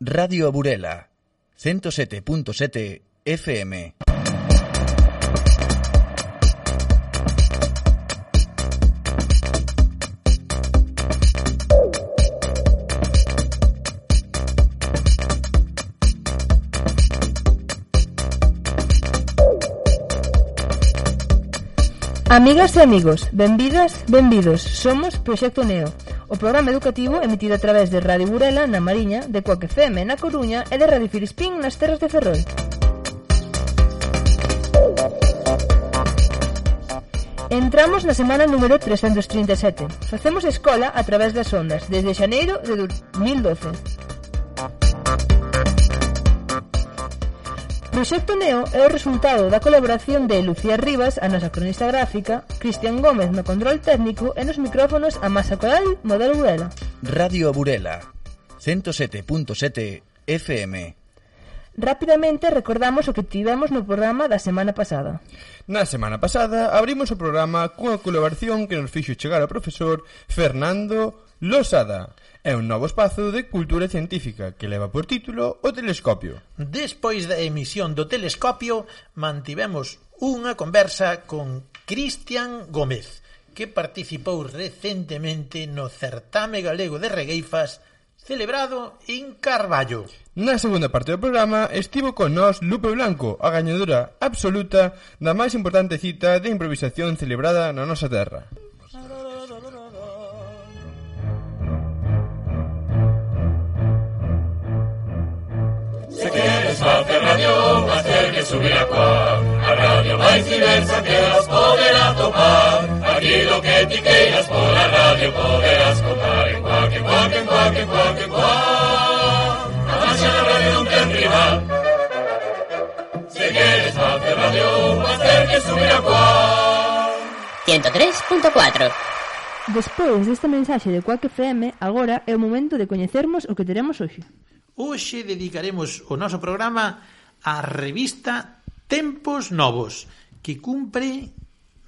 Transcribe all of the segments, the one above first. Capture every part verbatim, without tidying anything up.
Radio Burela, ciento sete punto sete F M. Amigas e amigos, benvidas, benvidos. Somos Proxecto Neo, o programa educativo emitido a través de Radio Burela na Mariña, de Coac F M na Coruña e de Radio Filispín nas terras de Ferrol. Entramos na semana número trescentos trinta e sete. Facemos escola a través das ondas, desde xaneiro de dos mil doce. Proxecto Neo é o resultado da colaboración de Lucía Rivas, a nosa cronista gráfica, Cristian Gómez no control técnico e nos micrófonos a Masa Coral, Modelo Burela. Radio Burela, ciento sete punto sete F M. Rapidamente recordamos o que tivemos no programa da semana pasada. Na semana pasada abrimos o programa cunha colaboración que nos fixo chegar ao profesor Fernando Losada. É un novo espazo de cultura científica que leva por título O Telescopio. Despois da emisión do Telescopio, mantivemos unha conversa con Cristian Gómez, que participou recentemente no certame galego de regueifas celebrado en Carballo. Na segunda parte do programa estivo con nós Lupe Blanco, a gañadora absoluta da máis importante cita de improvisación celebrada na nosa terra. Se queres facer radio, vas ter que subir a Coac, a radio máis diversa que vas poder atopar. Aquilo que ti queiras pola radio poderás contar en Coac, en Coac, en Coac, en Coac, en Coac. A marcha da radio non ten rival. Se queres facer radio, vas ter que subir a Coac. ciento tres punto cuatro. Despois desta mensaxe de Coac F M, agora é o momento de coñecermos o que teremos hoxe. Hoxe dedicaremos o noso programa á revista Tempos Novos, que cumpre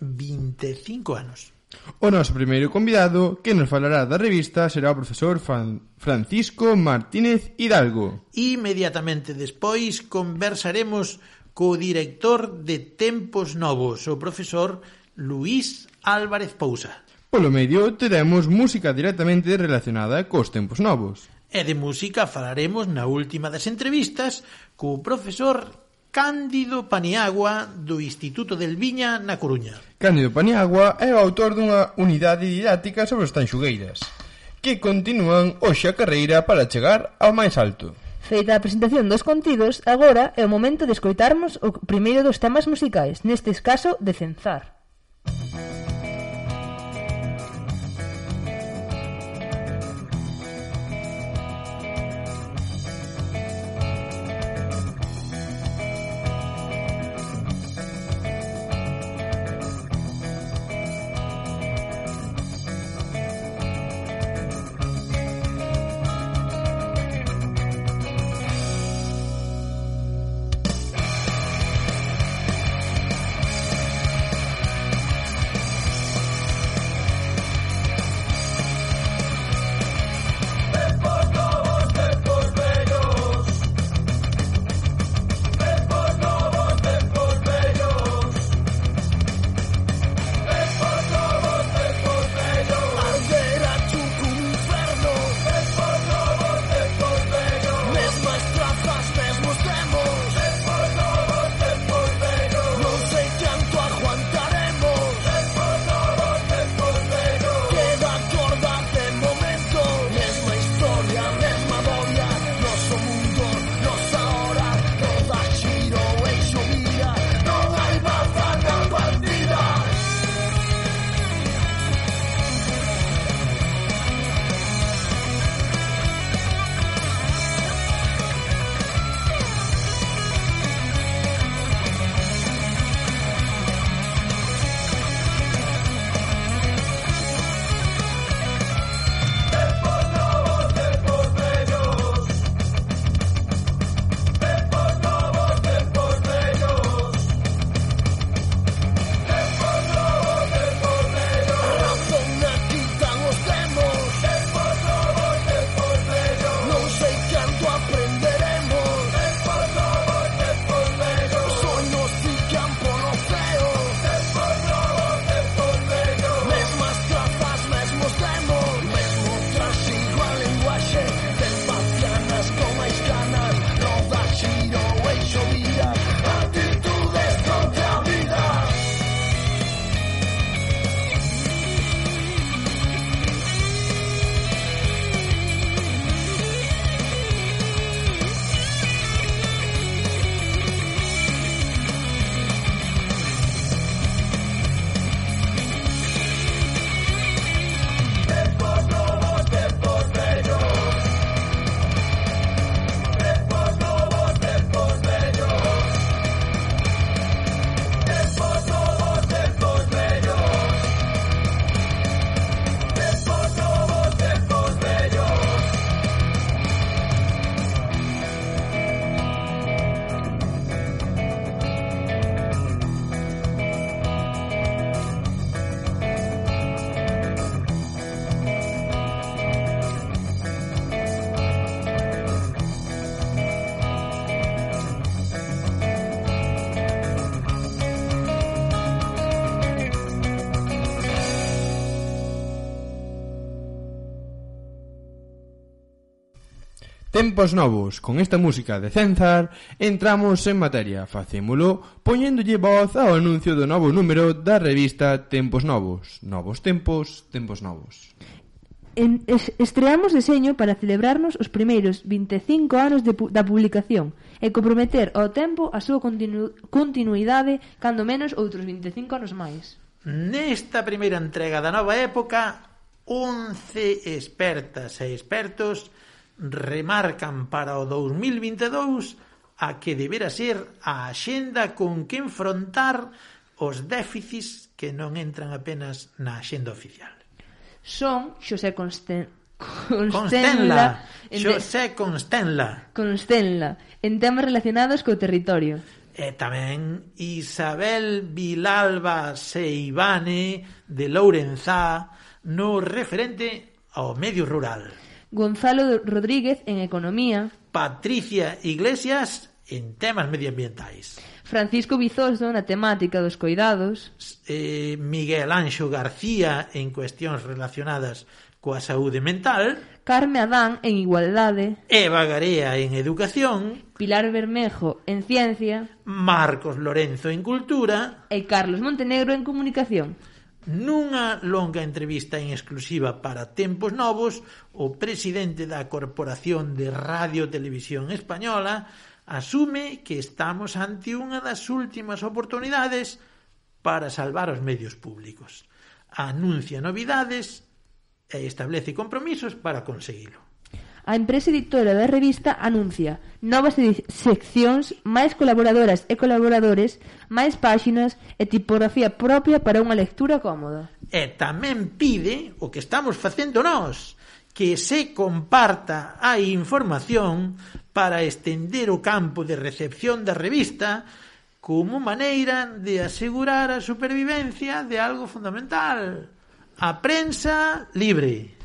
vinte e cinco anos. O noso primeiro convidado que nos falará da revista será o profesor Francisco Martínez Hidalgo. Inmediatamente despois conversaremos co director de Tempos Novos, o profesor Luís Álvarez Pousa. Polo medio teremos música directamente relacionada cos tempos novos. E de música falaremos na última das entrevistas co profesor Cándido Paniagua do Instituto del Viña na Coruña. Cándido Paniagua é o autor dunha unidade didáctica sobre as tanxugueiras, que continúan hoxe a carreira para chegar ao máis alto. Feita a presentación dos contidos, agora é o momento de escoitarmos o primeiro dos temas musicais, neste caso de Cenzar. Tempos novos. Con esta música de Cenzar entramos en materia. Facémolo poñéndolle voz ao anuncio do novo número da revista Tempos Novos. Novos tempos, tempos novos. En, es, estreamos deseño para celebrarnos os primeiros vinte e cinco anos de, da publicación e comprometer ao tempo a súa continu, continuidade, cando menos outros vinte e cinco anos máis. Nesta primeira entrega da nova época, once expertas e expertos remarcan para o dous mil vinte e dous a que debera ser a axenda con que enfrontar os déficits que non entran apenas na axenda oficial. Son Xosé Consten... Constenla, Xosé Constenla. Constenla, en temas relacionados co territorio. E tamén Isabel Vilalba Seivane de Lourenzá no referente ao medio rural. Gonzalo Rodríguez en economía. Patricia Iglesias en temas medioambientais. Francisco Bizoso na temática dos coidados. Eh, Miguel Anxo García en cuestións relacionadas coa saúde mental. Carme Adán en igualdade. Eva Garea en educación. Pilar Bermejo en ciencia. Marcos Lorenzo en cultura. E Carlos Montenegro en comunicación. Nunha longa entrevista en exclusiva para Tempos Novos, o presidente da Corporación de Radio Televisión Española asume que estamos ante unha das últimas oportunidades para salvar os medios públicos. Anuncia novidades e establece compromisos para conseguilo. A empresa editora da revista anuncia novas seccións, máis colaboradoras e colaboradores, máis páxinas e tipografía propia para unha lectura cómoda. E tamén pide, o que estamos facendo nós, que se comparta a información para estender o campo de recepción da revista como maneira de asegurar a supervivencia de algo fundamental: a prensa libre.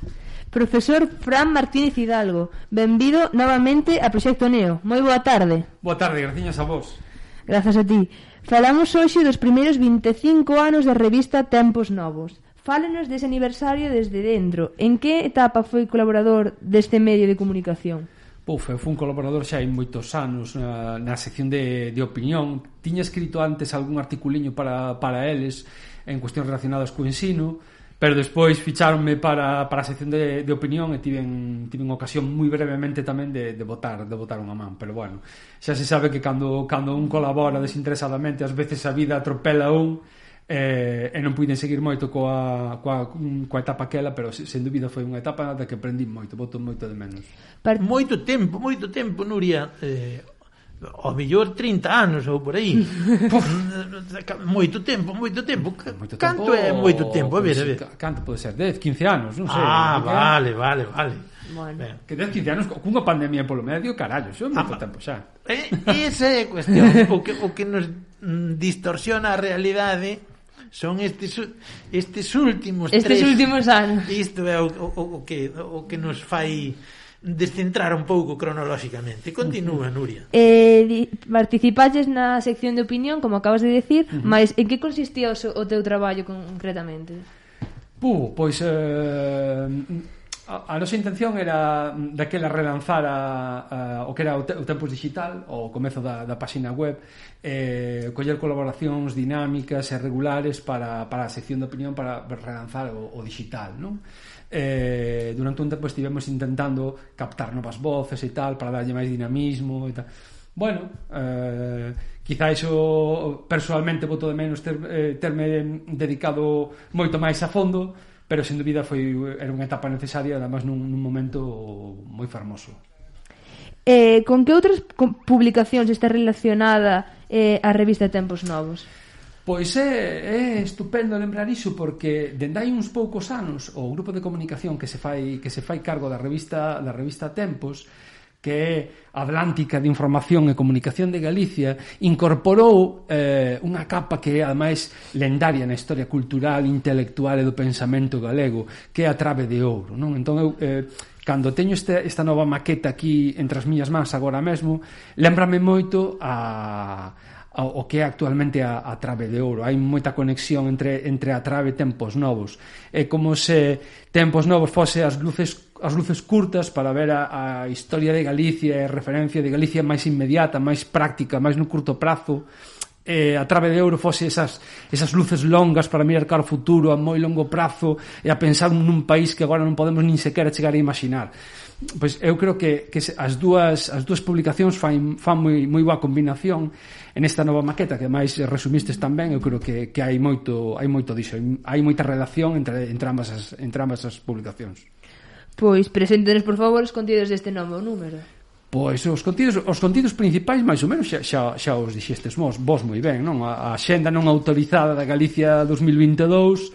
Profesor Fran Martínez Hidalgo, benvido novamente a Proxecto Neo. Moi boa tarde. Boa tarde, graciñas a vos. Grazas a ti. Falamos hoxe dos primeiros vinte e cinco anos da revista Tempos Novos. Fálenos dese aniversario desde dentro. En que etapa foi colaborador deste medio de comunicación? Puf, eu fui un colaborador xa hai moitos anos na, na sección de, de opinión. Tiña escrito antes algún articuliño para, para eles en cuestións relacionadas co ensino, pero despois ficháronme para, para a sección de, de opinión e tiven, tiven ocasión moi brevemente tamén de, de votar de votar unha man, pero bueno, xa se sabe que cando, cando un colabora desinteresadamente ás veces a vida atropela un eh, e non puiden seguir moito coa, coa, coa etapa aquela, pero sen dúbida foi unha etapa da que aprendí moito, voto moito de menos. Part... Moito tempo, moito tempo, Nuria, eh... ao mellor trinta anos ou por aí. Moito tempo, moito tempo. Moito Canto tempo, é moito tempo? A ver, a ver. Canto pode ser? dez, quince anos, non sei. Ah, vale, vale, vale. Bueno. Que dez, quince anos cunha pandemia polo medio, carallo, iso é moito ah, tempo xa. Eh, esa é a cuestión. O que, o que nos distorsiona a realidade son estes estes últimos estes tres, últimos anos. Isto é o, o, o que o que nos fai descentrar un pouco cronolóxicamente. Continúa, Nuria. Eh, di, participaches na sección de opinión, como acabas de decir, uh-huh. Mas en que consistía o, o teu traballo concretamente? Puh, pois eh, a, a nosa intención era daquela relanzar a, a, o que era o, te, o Tempos Digital, o comezo da, da páxina web, eh, coller colaboracións dinámicas e regulares para, para a sección de opinión para relanzar o, o digital, non? Eh, durante un tempo estivemos intentando captar novas voces e tal para darlle máis dinamismo e tal. Bueno, eh, quizá iso personalmente voto de menos ter, eh, terme dedicado moito máis a fondo, pero sen dúbida foi, era unha etapa necesaria, además nun, nun momento moi fermoso. Eh, con que outras publicacións está relacionada eh, a revista Tempos Novos? Pois é, é estupendo lembrar iso, porque dende hai uns poucos anos o grupo de comunicación que se fai que se fai cargo da revista da revista Tempos, que é Atlántica de Información e Comunicación de Galicia, incorporou eh, unha capa que é ademais lendaria na historia cultural, intelectual e do pensamento galego, que é a Trave de Ouro, non? Entón eu eh, cando teño este, esta nova maqueta aquí entre as miñas mans agora mesmo, lembrame moito a o que é actualmente a, a Trabe de Ouro. Hai moita conexión entre, entre a Trabe e Tempos Novos. É como se Tempos Novos fose as luces as luces curtas para ver a, a historia de Galicia e a referencia de Galicia máis inmediata, máis práctica, máis no curto prazo. Eh, a Trabe de Ouro fose esas, esas luces longas para mirar cara ao futuro a moi longo prazo e a pensar nun país que agora non podemos nin sequera chegar a imaginar. Pois eu creo que, que as dúas as dúas publicacións fan, fan moi, moi boa combinación en esta nova maqueta que máis resumistes tamén. Eu creo que, que hai moito hai moito diso, hai moita relación entre, entre, ambas as, entre ambas as publicacións. Pois preséntenos por favor os contidos deste novo número. Pois os contidos, os contidos principais máis ou menos xa, xa, xa os dixestes vos, vos moi ben, non? A, a xenda non autorizada da Galicia dos mil vinte e dous,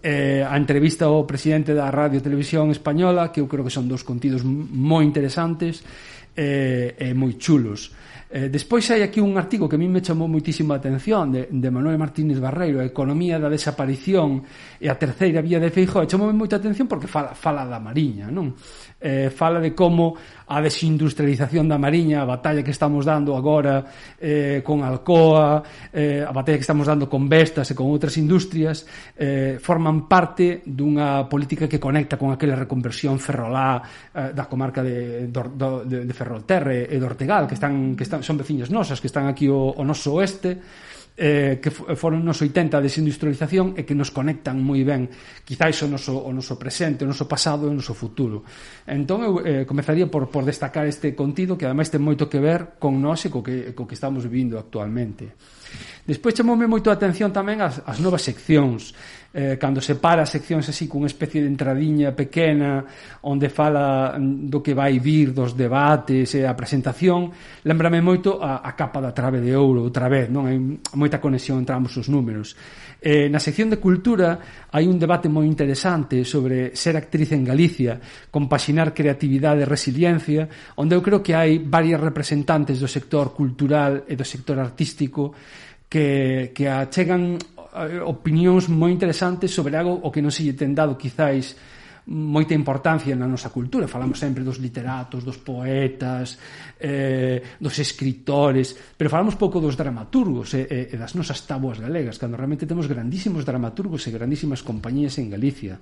eh, a entrevista ao presidente da Radio Televisión Española, que eu creo que son dos contidos moi interesantes e eh, moi chulos. Eh, despois hai aquí un artigo que a mí me chamou moitísimo a atención de, de Manuel Martínez Barreiro, a economía da desaparición e a terceira vía de Feijóo. Chamou moita atención porque fala, fala da Mariña, non? Eh, fala de como a desindustrialización da Mariña, a batalla que estamos dando agora eh, con Alcoa, eh, a batalla que estamos dando con Vestas e con outras industrias, eh, forman parte dunha política que conecta con aquela reconversión ferrolá eh, da comarca de, de, de, de Ferrolterre e do Ortegal, que están, que están, son veciñas nosas, que están aquí o, o noso oeste, eh, que foron nos oitenta a desindustrialización e que nos conectan moi ben quizáis o noso, o noso presente, o noso pasado e o noso futuro. Entón eu eh, comezaría por, por destacar este contido que ademais ten moito que ver con nós e co que, co que estamos vivindo actualmente. Despois chamoume moito a atención tamén as, as novas seccións, eh, cando se para as seccións así cunha especie de entradiña pequena onde fala do que vai vir, dos debates e a presentación. Lémbrame moito a, a capa da Trabe de Ouro outra vez, non? Hai moita conexión entre ambos os números. Eh, na sección de cultura hai un debate moi interesante sobre ser actriz en Galicia, compaxinar creatividade e resiliencia, onde eu creo que hai varias representantes do sector cultural e do sector artístico que, que achegan opinións moi interesantes sobre algo o que non se lle ten dado quizáis moita importancia na nosa cultura. Falamos sempre dos literatos, dos poetas, eh, dos escritores, pero falamos pouco dos dramaturgos e, e das nosas táboas galegas, cando realmente temos grandísimos dramaturgos e grandísimas compañías en Galicia.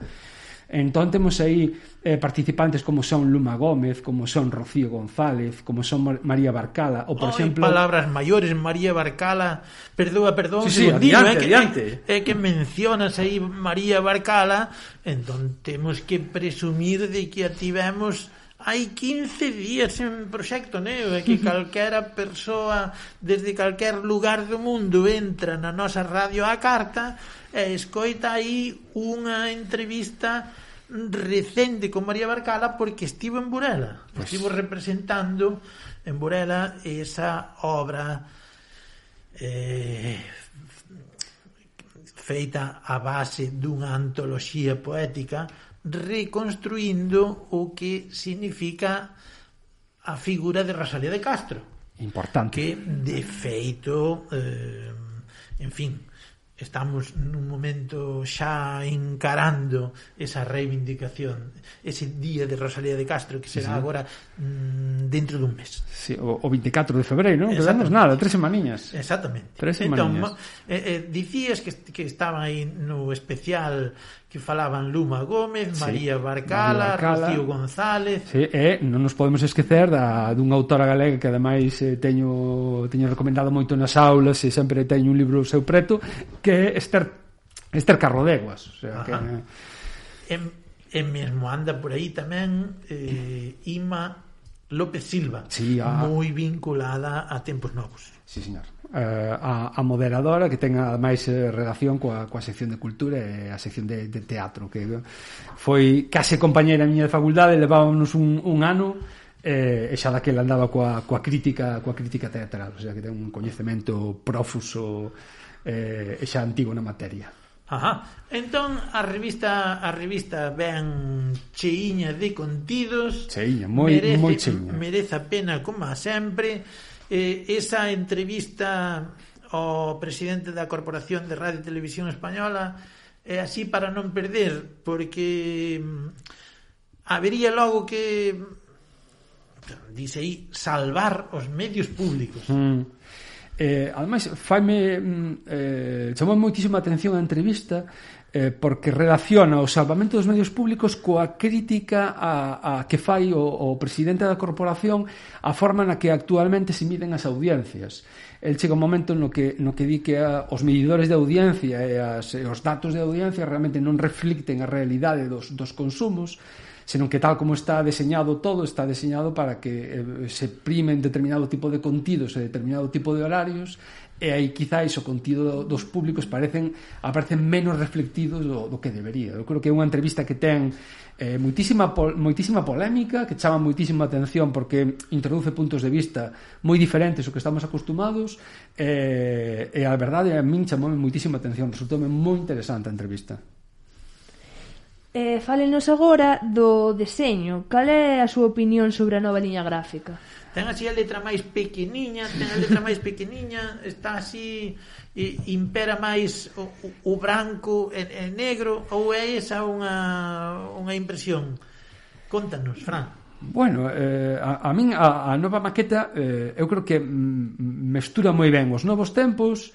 Entón temos aí eh, participantes como son Luma Gómez, como son Rocío González, como son María Barcala, ou por oh, exemplo... palabras maiores, María Barcala, perdón, perdón, sí, sí, segundinho, adiante, é que, adiante. É, é que mencionas aí María Barcala, entón temos que presumir de que a tivemos hai quince días en proxecto, né? É que calquera persoa desde calquer lugar do mundo entra na nosa radio á carta e escoita aí unha entrevista recente con María Barcala porque estivo en Burela, pues... estivo representando en Burela esa obra eh, feita a base dunha antoloxía poética reconstruindo o que significa a figura de Rosalía de Castro. Importante. Que, de feito, eh, en fin, estamos nun momento xa encarando esa reivindicación, ese día de Rosalía de Castro que será sí, sí. agora mm, dentro dun mes. Sí, o, o veinticuatro de febreiro, non? Quedamos nada, tres semaninhas. Exactamente. Tres semaninhas. Entón, eh, eh, dicías que, que estaban aí no especial que falaban Luma Gómez, sí, María Barcala, Barcala, Rocío González. Sí, e non nos podemos esquecer da, dunha autora galega que ademais eh, teño, teño recomendado moito nas aulas e sempre teño un libro seu preto, que é Esther, Esther Carrodeguas. O sea, que... e, e mesmo anda por aí tamén eh, Ima López Silva, sí, a... moi vinculada a Tempos Novos. Sí, señor. Uh, a, a moderadora que ten ademais eh, relación coa, coa sección de cultura e a sección de, de teatro, que foi case compañeira miña de facultade, levábamos un, un ano eh, e xa daquela andaba coa, coa crítica coa crítica teatral, o sea que ten un coñecemento profuso eh, e xa antigo na materia. Ajá. Entón a revista a revista ben cheiña de contidos, cheiña, moi merece, moi cheiña. Merece a pena como sempre. Eh, esa entrevista ao presidente da Corporación de Radio e Televisión Española é así para non perder, porque habería logo que dice aí salvar os medios públicos. Mm. Eh, ademais, faime eh, chamou moitísima atención a entrevista eh, porque relaciona o salvamento dos medios públicos coa crítica a, a que fai o, o presidente da corporación a forma na que actualmente se miden as audiencias. El chega un momento no que, no que di que a, os medidores de audiencia e, as, e os datos de audiencia realmente non reflicten a realidade dos, dos consumos, senón que tal como está deseñado todo, está deseñado para que eh, se primen determinado tipo de contidos e determinado tipo de horarios, e aí quizáis o contido dos públicos parecen aparecen menos reflectidos do, do que debería. Eu creo que é unha entrevista que ten eh, moitísima, pol, moitísima polémica, que chama moitísima atención porque introduce puntos de vista moi diferentes ao que estamos acostumados, eh, e a verdade a min chamoume moitísima atención, resultoume moi interesante a entrevista. Eh, fálenos agora do deseño. Cal é a súa opinión sobre a nova liña gráfica? Ten así a letra máis pequeniña, ten a letra máis pequeniña, está así, e impera máis o, o branco e, e negro, ou é esa unha, unha impresión? Contanos, Fran. Bueno, eh, a, a min a, a nova maqueta eh, eu creo que mm, mestura moi ben os novos tempos,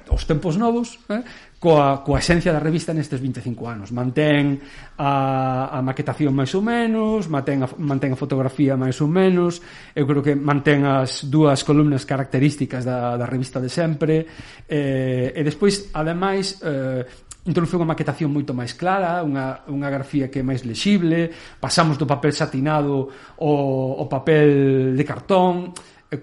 os tempos novos, eh, coa, coa esencia da revista nestes vinte e cinco anos. Mantén a, a maquetación máis ou menos, mantén a, mantén a fotografía máis ou menos, eu creo que mantén as dúas columnas características da, da revista de sempre, eh, e despois, ademais, eh, introduce unha maquetación moito máis clara, unha, unha grafía que é máis lexible, pasamos do papel satinado ao, ao papel de cartón,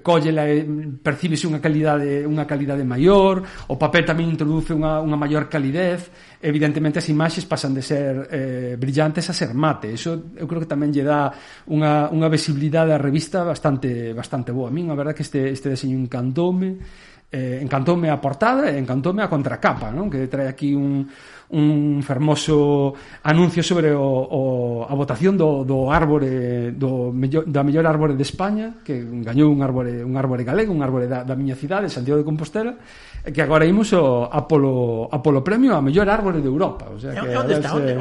cóllela e percíbese unha calidade unha calidade maior, o papel tamén introduce unha, unha maior calidez, evidentemente as imaxes pasan de ser eh, brillantes a ser mate, eso eu creo que tamén lle dá unha, unha visibilidade á revista bastante bastante boa. A min a verdade que este, este deseño encantoume, eh, encantoume a portada e encantoume a contracapa, non? Que trae aquí un un fermoso anuncio sobre o, o, a votación do, do árbore do mellor, da mellor árbore de España, que gañou un árbore un árbore galego, un árbore da, da miña cidade, Santiago de Compostela, e que agora imos o, a, polo, a polo premio a mellor árbore de Europa. O sea, que onde está? Se... Onde?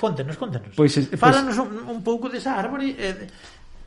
Contenos, contenos. Pois, pois... Fálanos un, un pouco desa árbore e...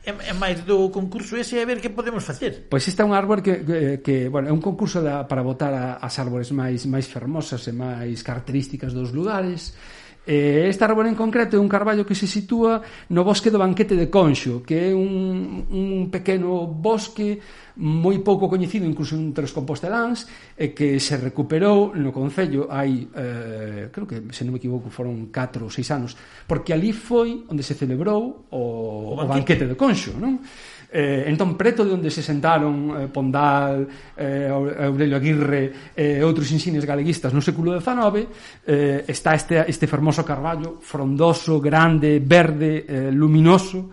É máis do concurso ese a ver que podemos facer. Pois esta é un árbore que, que, que bueno, é un concurso da, para votar a, as árbores máis máis fermosas e máis características dos lugares. Eh, esta árbore en concreto é un carballo que se sitúa no bosque do Banquete de Conxo, que é un, un pequeno bosque moi pouco coñecido incluso entre os composteláns, e que se recuperou no concello hai, eh, creo que se non me equivoco foron catro ou seis anos, porque ali foi onde se celebrou o, o, banquete. o banquete de Conxo, non? Eh, entón preto de onde se sentaron eh, Pondal, eh, Aurelio Aguirre e eh, outros insignes galeguistas no século dezenove, eh, está este, este fermoso carballo frondoso, grande, verde, eh, luminoso,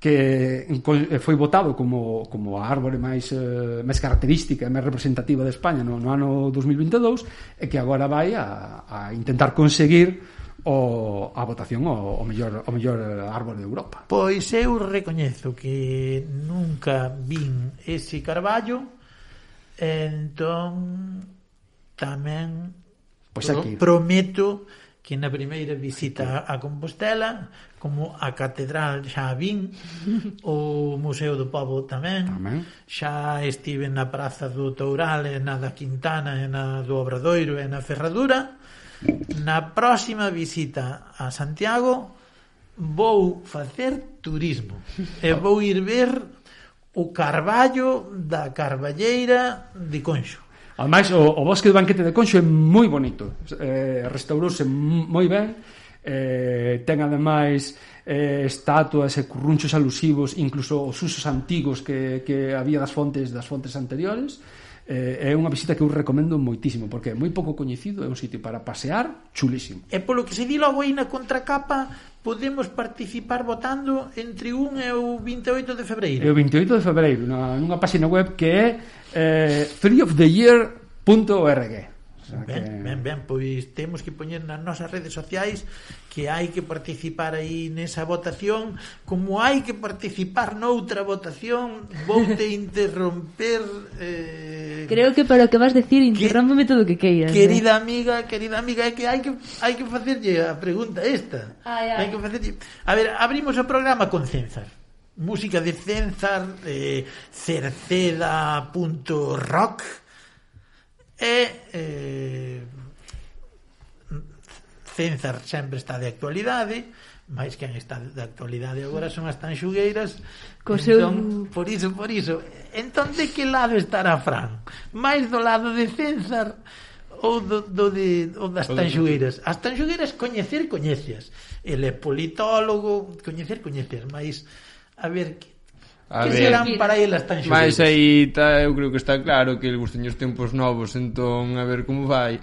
que foi votado como, como a árbore máis, eh, máis característica e máis representativa de España no, no ano dos mil vinte e dous, e que agora vai a, a intentar conseguir o, a votación o, o, mellor, o mellor árbore de Europa. Pois eu recoñezo que nunca vin ese carballo, entón tamén pois pro, prometo que na primeira visita a Compostela, como a catedral xa vin, o Museo do Pobo tamén, tamén. Xa estive na Praza do Toural e na da Quintana e na do Obradoiro e na Ferradura. Na próxima visita a Santiago vou facer turismo e vou ir ver o carballo da Carballeira de Conxo. Ademais, o, o bosque do Banquete de Conxo é moi bonito, eh, restaurouse moi ben, eh, ten ademais eh, estatuas e currunchos alusivos, incluso os usos antigos que, que había das fontes das fontes anteriores. Eh, é unha visita que eu recomendo moitísimo, porque é moi pouco coñecido, é un sitio para pasear chulísimo. E polo que se di logo aí na contracapa, podemos participar votando entre un e o vinte e oito de febreiro. E o vinte e oito de febreiro, na, nunha página web que é eh, free of the year punto org. O sea, ben, que... ben, ben, pois temos que poñer nas nosas redes sociais que hai que participar aí nesa votación, como hai que participar noutra votación. Voute interromper eh... Creo que para o que vas decir interrómpeme todo o que queiras. Querida eh? amiga, querida amiga, é que hai que hai que facerlle a pregunta esta. Ai, ai. Hai que facerlle... A ver, abrimos o programa con Cenzar. Música de Cenzar, eh, cerceda punto rock. E eh, César sempre está de actualidade, máis quen está de actualidade agora son as tanxugueiras. Co entón, seu... por iso, por iso entón de que lado estará Fran? Máis do lado de César ou do, do de, ou das tanxugueiras? As tanxugueiras coñecer, coñecias, ele é politólogo, coñecer, coñeces, máis a ver, que, a que ver, serán para ele as tanxugueiras? Mas aí tá, eu creo que está claro que ele gustan os tempos novos, entón a ver como vai.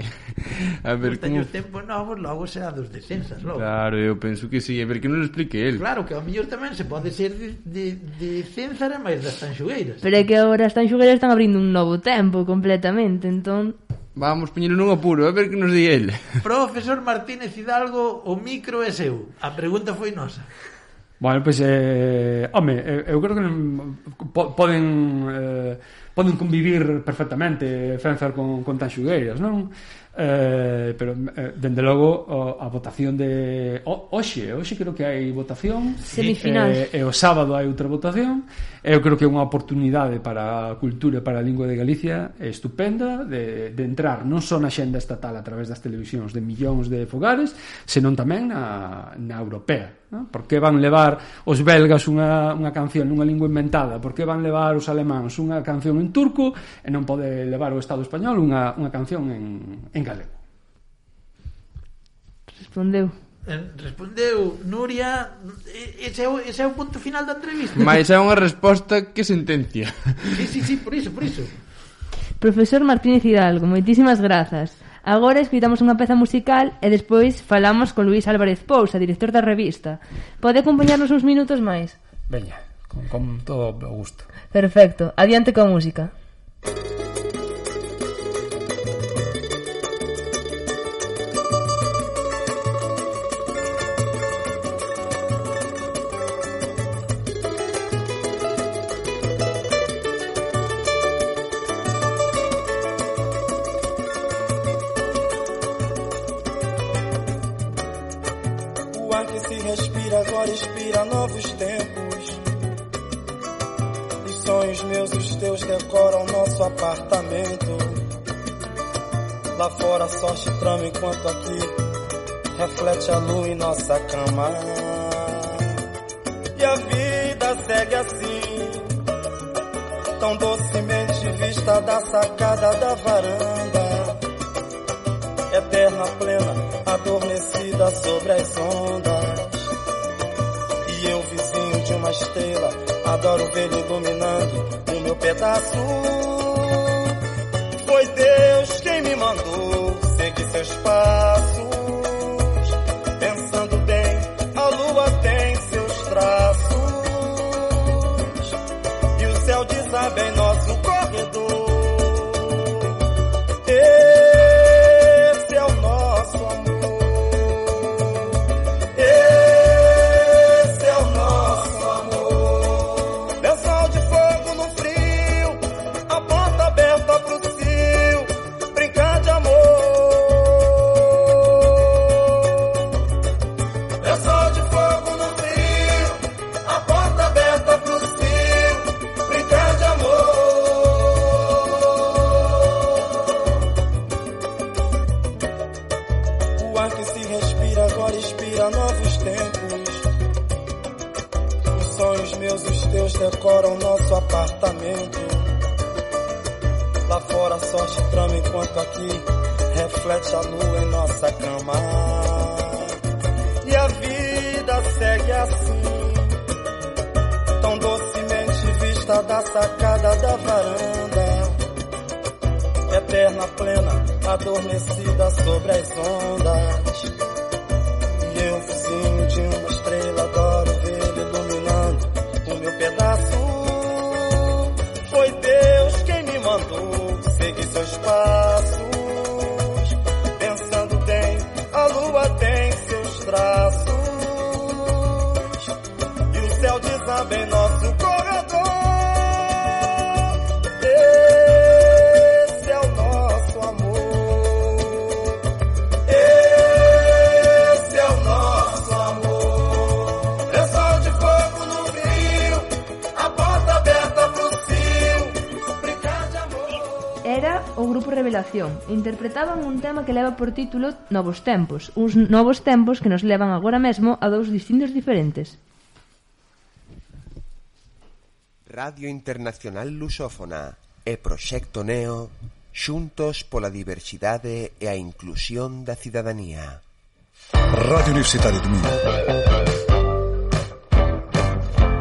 A ver Gustan como... os tempos novos, logo será dos de César, logo. Claro, eu penso que sí, a ver que non lo explique ele. Claro, que ao mellor tamén se pode ser de, de, de César e máis das tanxugueiras. Pero é que agora as tanxugueiras están abrindo un novo tempo completamente, entón... Vamos poñelo nun apuro, a ver que nos di ele. Profesor Martínez Hidalgo, o micro é seu. A pregunta foi nosa. Bueno, pois, eh, home, eu creo que po, poden eh, poden convivir perfectamente César con, con tanxugueiras, non? Eh, pero, eh, dende logo, o, a votación de... O, oxe, oxe creo que hai votación. Semifinal. E, e o sábado hai outra votación. Eu creo que é unha oportunidade para a cultura e para a lingua de Galicia estupenda de, de entrar non só na xenda estatal a través das televisións de millóns de fogares, senón tamén na, na europea. ¿No? Por que van levar os belgas unha, unha canción nunha lingua inventada? Por que van levar os alemáns unha canción en turco e non pode levar o Estado español unha, unha canción en, en galego? Respondeu. Respondeu Nuria. Ese é, o, ese é o punto final da entrevista. Mas é unha resposta que sentencia. Sí, sí, sí, por iso, por iso. Profesor Martínez Hidalgo, moitísimas grazas. Agora escoitamos unha peza musical e despois falamos con Luís Álvarez Pousa, director da revista. Pode acompañarnos uns minutos máis? Veña, con, con todo o gusto. Perfecto, adiante coa música. Agora inspira novos tempos. Os sonhos meus, os teus decoram nosso apartamento. Lá fora só se trama enquanto aqui reflete a lua em nossa cama. E a vida segue assim, tão docemente vista da sacada da varanda. Eterna, plena, adormecida sobre as ondas. E eu, vizinho de uma estrela, adoro ver iluminando o meu pedaço. Foi Deus quem me mandou seguir seus passos. Pensando bem, a lua tem seus traços. E o céu desaba em nosso corredor. Esse é o nosso amor. Decoram nosso apartamento. Lá fora só se trama enquanto aqui reflete a lua em nossa cama. E a vida segue assim, tão docemente vista da sacada da varanda. Eterna, plena, adormecida sobre as ondas. E eu, vizinho de uma estrela, adoro ver iluminando o meu pedaço. Foi Deus quem me mandou seguir seus passos. Pensando bem, a lua tem seus traços. E o céu desaba em nosso corredor. Esse é o nosso amor. Esse é o nosso amor. o grupo Revelación e interpretaban un tema que leva por título Novos Tempos, uns novos tempos que nos levan agora mesmo a dous distintos diferentes. Radio Internacional Lusófona e Proxecto Neo, xuntos pola diversidade e a inclusión da cidadanía. Radio Universitária do Minho.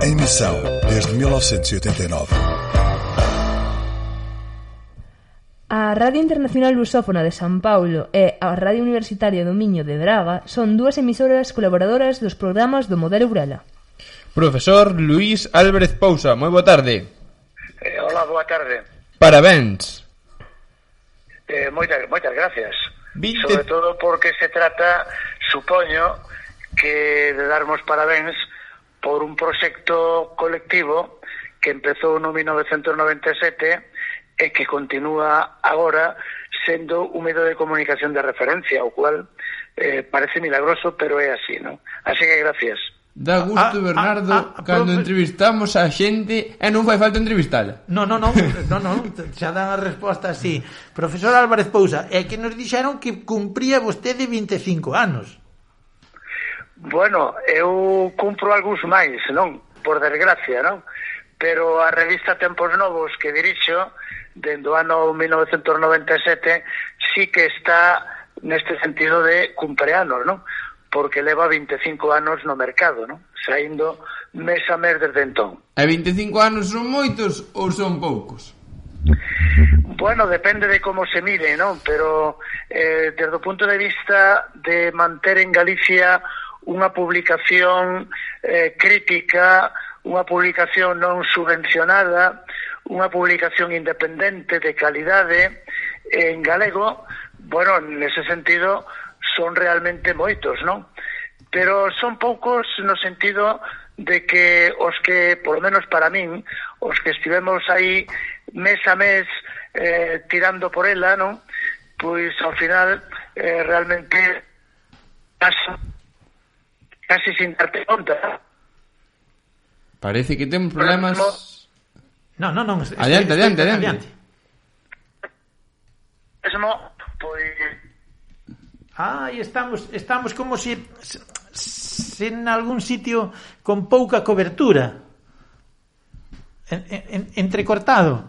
Em missão desde mil novecentos e oitenta e nove. A Radio Internacional Lusófona de San Paulo e a Radio Universitaria do Miño de Braga son dúas emisoras colaboradoras dos programas do Modelo Urela. Profesor Luís Álvarez Pousa, moi boa tarde. Eh, hola, boa tarde. Parabéns. Eh, moitas, moitas gracias. Vinte... Sobre todo porque se trata, supoño, que de darmos parabéns por un proxecto colectivo que empezou no mil novecentos noventa e sete e que continúa agora sendo un medio de comunicación de referencia, o cual eh, parece milagroso, pero é así, ¿no? Así que gracias. Dá gusto, ah, Bernardo, ah, ah, cando profe... entrevistamos a xente e non fai falta entrevistala. No, no, no, no, no, xa dan a resposta así. Profesor Álvarez Pousa, é que nos dixeron que cumpría vostede vinte e cinco anos. Bueno, eu cumpro algúns máis, non? Por desgracia, non? Pero a revista Tempos Novos que dirixo, dende o ano mil novecentos noventa e sete, sí que está neste sentido de cumpleanos, non? Porque leva vinte e cinco anos no mercado, non? Saindo mes a mes desde entón. E vinte e cinco anos son moitos ou son poucos? Bueno, depende de como se mire, non? Pero eh, desde o punto de vista de manter en Galicia unha publicación eh, crítica, unha publicación non subvencionada, unha publicación independente de calidade en galego, bueno, nese sentido son realmente moitos, non? Pero son poucos no sentido de que os que, por lo menos para min, os que estivemos aí mes a mes eh, tirando por ela, non? Pois ao final eh, realmente casi, casi sin darte conta. Parece que temos problemas. No, no, no. Adiante, adiante, adiante. Mesmo, pois Ah, e estamos estamos como se, se, se en algún sitio con pouca cobertura. En, en, entrecortado.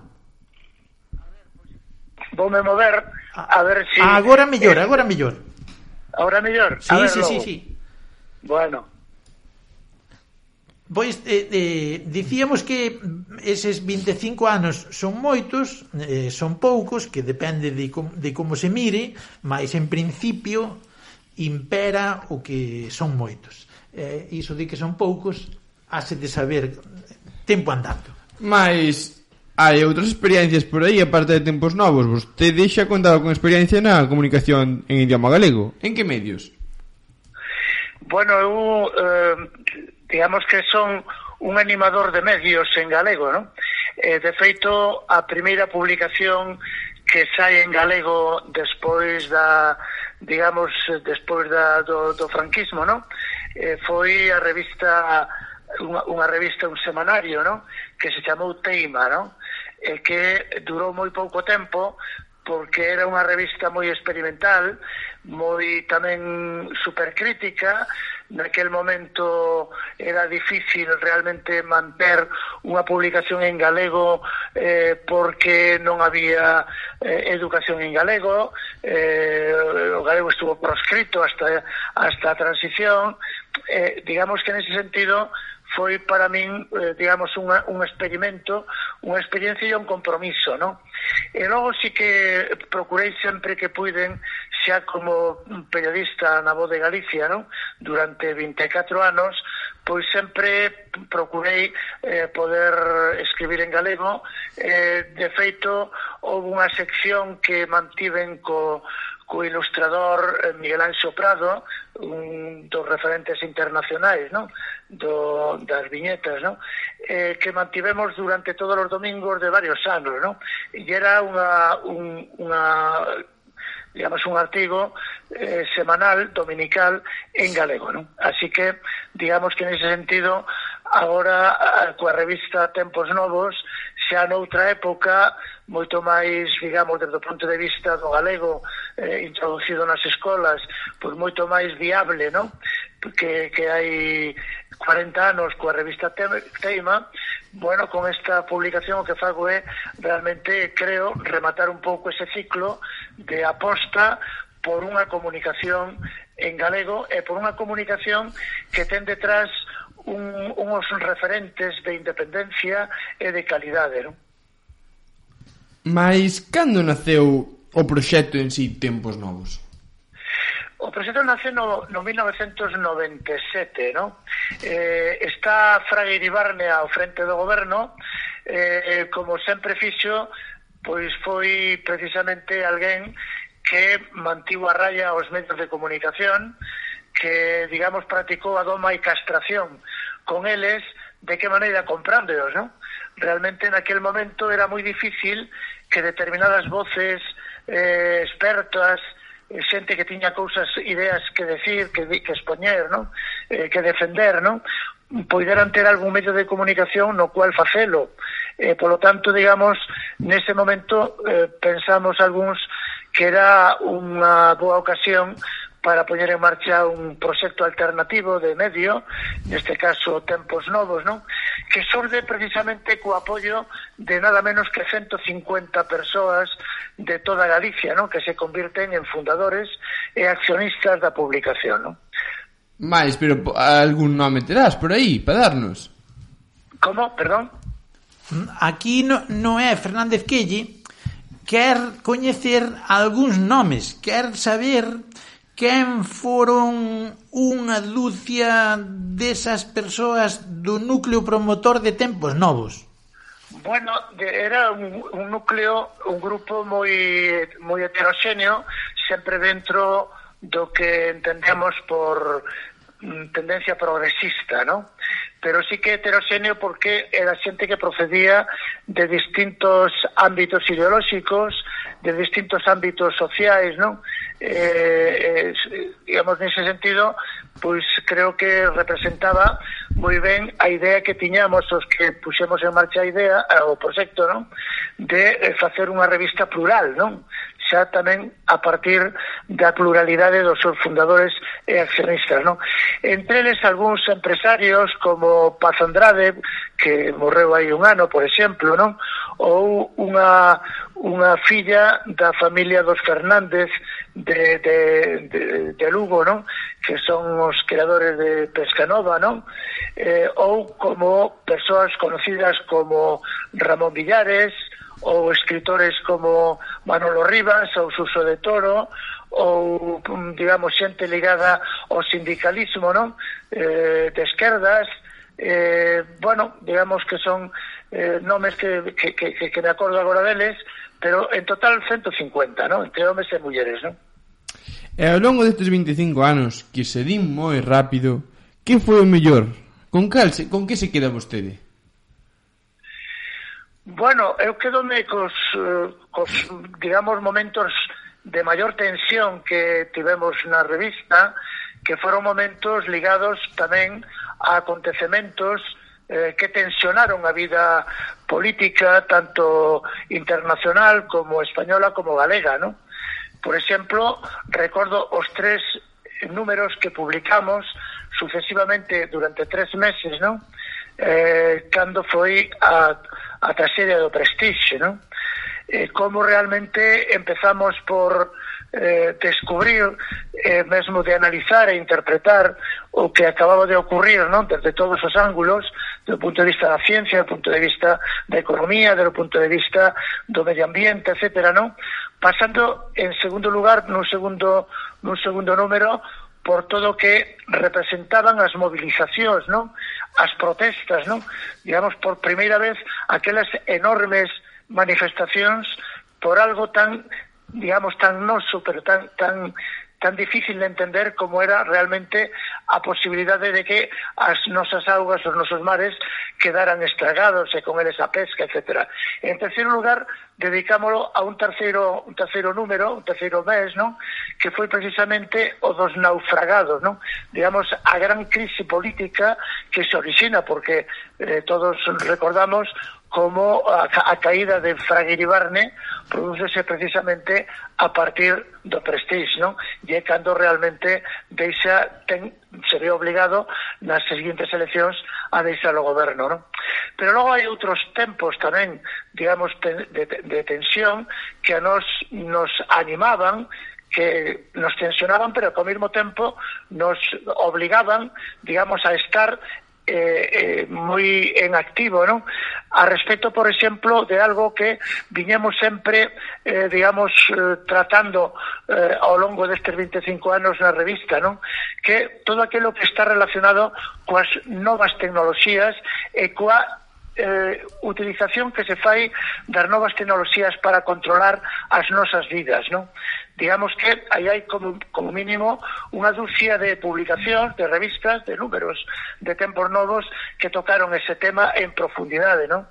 Voume mover a ver si... Agora mellor, eh, agora mellor. Agora mellor? Sí, sí, sí, sí. Bueno. Pois, eh, eh, dicíamos que eses vinte e cinco anos son moitos, eh, son poucos, que depende de, com, de como se mire, mas en principio impera o que son moitos. Eh, iso de que son poucos, hase de saber tempo andando. Mais hai outras experiencias por aí, aparte de Tempos Novos. Vostede xa contaba con experiencia na comunicación en idioma galego. En que medios? Bueno, eu... Eh, digamos que son un animador de medios en galego, ¿no? Eh, de feito, a primeira publicación que sai en galego despois da, digamos, despois da, do, do franquismo, ¿no? Eh, foi a revista, unha, unha revista, un semanario, ¿no? Que se chamou Teima, ¿no? E que durou moi pouco tempo, porque era unha revista moi experimental, moi tamén supercrítica. Naquel momento era difícil realmente manter unha publicación en galego eh, porque non había eh, educación en galego, eh, o galego estuvo proscrito hasta, hasta a transición. Eh, digamos que nese sentido foi para min, eh, digamos, unha, un experimento, unha experiencia e un compromiso, non? E logo sí que procurei sempre que puiden, xa como periodista na Voz de Galicia, non? Durante vinte e catro anos, pois sempre procurei eh, poder escribir en galego. Eh, de feito, houve unha sección que mantiven co co ilustrador Miguel Anxo Prado, un dos referentes internacionais, ¿no? Do, das viñetas, ¿no? Eh, que mantivemos durante todos os domingos de varios anos, ¿no? E era unha, un, unha digamos, un artigo eh, semanal, dominical, en galego, ¿no? Así que, digamos que en ese sentido, agora, coa revista Tempos Novos, xa noutra época moito máis, digamos, desde o punto de vista do galego eh, introducido nas escolas, pois moito máis viable, non? Que, que hai cuarenta anos coa revista Teima. Bueno, con esta publicación o que fago é realmente, creo, rematar un pouco ese ciclo de aposta por unha comunicación en galego e por unha comunicación que ten detrás un, unos referentes de independencia e de calidade, non? Mais cando naceu o proxecto en si Tempos Novos? O proxecto nace no, no mil novecentos noventa e sete, non? Eh, está Fraga Iribarne ao frente do goberno, eh, como sempre fixo, pois foi precisamente alguén que mantivo a raya aos medios de comunicación, que, digamos, practicou a doma e castración con eles, de que maneira comprándoos, non? Realmente naquel momento era moi difícil que determinadas voces eh, expertas, xente que tiña cousas, ideas que decir, que, que expoñer, non? Eh, que defender, non? Poideran ter algún medio de comunicación no cual facelo. Eh, polo tanto, digamos, nese momento eh, pensamos algúns que era unha boa ocasión para poñer en marcha un proxecto alternativo de medio, neste caso Tempos Novos, non? Que surde precisamente co apoio de nada menos que ciento cincuenta persoas de toda Galicia, non? Que se convirten en fundadores e accionistas da publicación, non? Mais, pero algún nome terás por aí, para darnos? Como? Perdón? Aquí no, no é Fernández Quelle, quer coñecer algúns nomes, quer saber quen foron unha dúcia desas persoas do núcleo promotor de Tempos Novos. Bueno, era un, un núcleo, un grupo moi moi heteroxéneo, sempre dentro do que entendemos por tendencia progresista, ¿no? Pero sí que heteroxéneo porque era xente que procedía de distintos ámbitos ideolóxicos, de distintos ámbitos sociais, ¿no? Eh, eh, digamos, nese sentido, pois creo que representaba moi ben a idea que tiñamos os que puxemos en marcha a idea, o proxecto, ¿no? De facer unha revista plural, ¿no? Xa tamén a partir da pluralidade dos seus fundadores e accionistas, non? Entre eles algúns empresarios como Paz Andrade, que morreu hai un ano, por exemplo, non? Ou unha unha filla da familia dos Fernández de, de, de, de Lugo, non? Que son os creadores de Pescanova, non? Eh, ou como persoas conocidas como Ramón Villares, ou escritores como Manolo Rivas ou Suso de Toro, ou, digamos, xente ligada ao sindicalismo, non? Eh, de esquerdas, eh, bueno, digamos que son eh, nomes que, que, que, que me acordo agora deles, pero en total ciento cincuenta, non? Entre homes e mulleres, non? E ao longo destes veinticinco anos, que se din moi rápido, que foi o mellor? Con, cal se, con que se queda vostede? Bueno, eu quedome cos, cos, digamos, momentos de maior tensión que tivemos na revista, que foron momentos ligados tamén a acontecementos eh, que tensionaron a vida política, tanto internacional como española como galega, ¿no? Por exemplo, recordo os tres números que publicamos sucesivamente durante tres meses, ¿no? Eh, cando foi a, a traxedia do Prestige, non? Eh, como realmente empezamos por eh, descubrir, eh, mesmo de analizar e interpretar o que acababa de ocurrir, non? Desde todos os ángulos, do punto de vista da ciencia, do punto de vista da economía, do punto de vista do medio ambiente, etcétera, non? Pasando en segundo lugar, nun segundo, nun segundo número, por todo o que representaban as movilizacións, non? As protestas, non? Digamos, por primeira vez, aquelas enormes manifestacións por algo tan, digamos, tan noso, pero tan tan tan difícil de entender como era realmente a posibilidade de que as nosas augas, os nosos mares quedaran estragados e con eles a pesca, etcétera. En terceiro lugar, dedicámolo a un terceiro un terceiro número, un terceiro mes, non? Que foi precisamente o dos naufragados, non? Digamos, a gran crise política que se orixina, porque eh, todos recordamos como a, a caída de Fraga Iribarne prodúcese precisamente a partir do Prestige, non? E é cando realmente deixa, ten, se ve obligado nas seguintes eleccións a deixar o goberno, non? Pero logo hai outros tempos tamén, digamos, de, de, de tensión que a nos, nos animaban, que nos tensionaban, pero que ao mesmo tempo nos obligaban, digamos, a estar eh, eh, moi en activo, non? A respecto, por exemplo, de algo que viñemos sempre, eh, digamos, eh, tratando eh, ao longo destes veinticinco anos na revista, non? Que todo aquilo que está relacionado coas novas tecnoloxías e coa Eh, utilización que se fai das novas tecnoloxías para controlar as nosas vidas, non? Digamos que aí hai como, como mínimo unha dúcia de publicacións, de revistas, de números de Tempos Novos que tocaron ese tema en profundidade, non?